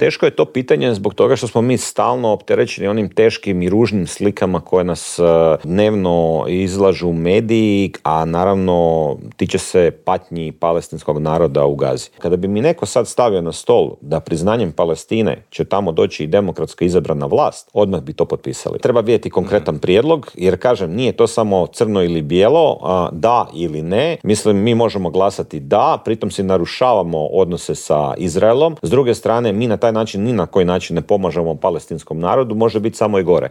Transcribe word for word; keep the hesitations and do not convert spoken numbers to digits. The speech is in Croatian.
Teško je to pitanje zbog toga što smo mi stalno opterećeni onim teškim i ružnim slikama koje nas dnevno izlažu mediji, a naravno tiče se patnji palestinskog naroda u Gazi. Kada bi mi neko sad stavio na stol da priznanjem Palestine će tamo doći i demokratsko izabrana vlast, odmah bi to potpisali. Treba vidjeti konkretan prijedlog, jer kažem, nije to samo crno ili bijelo, da ili ne. Mislim, mi možemo glasati da, pritom si narušavamo odnose sa Izraelom. S druge strane, mi na taj način ni na koji način ne pomažemo palestinskom narodu, može biti samo i gore.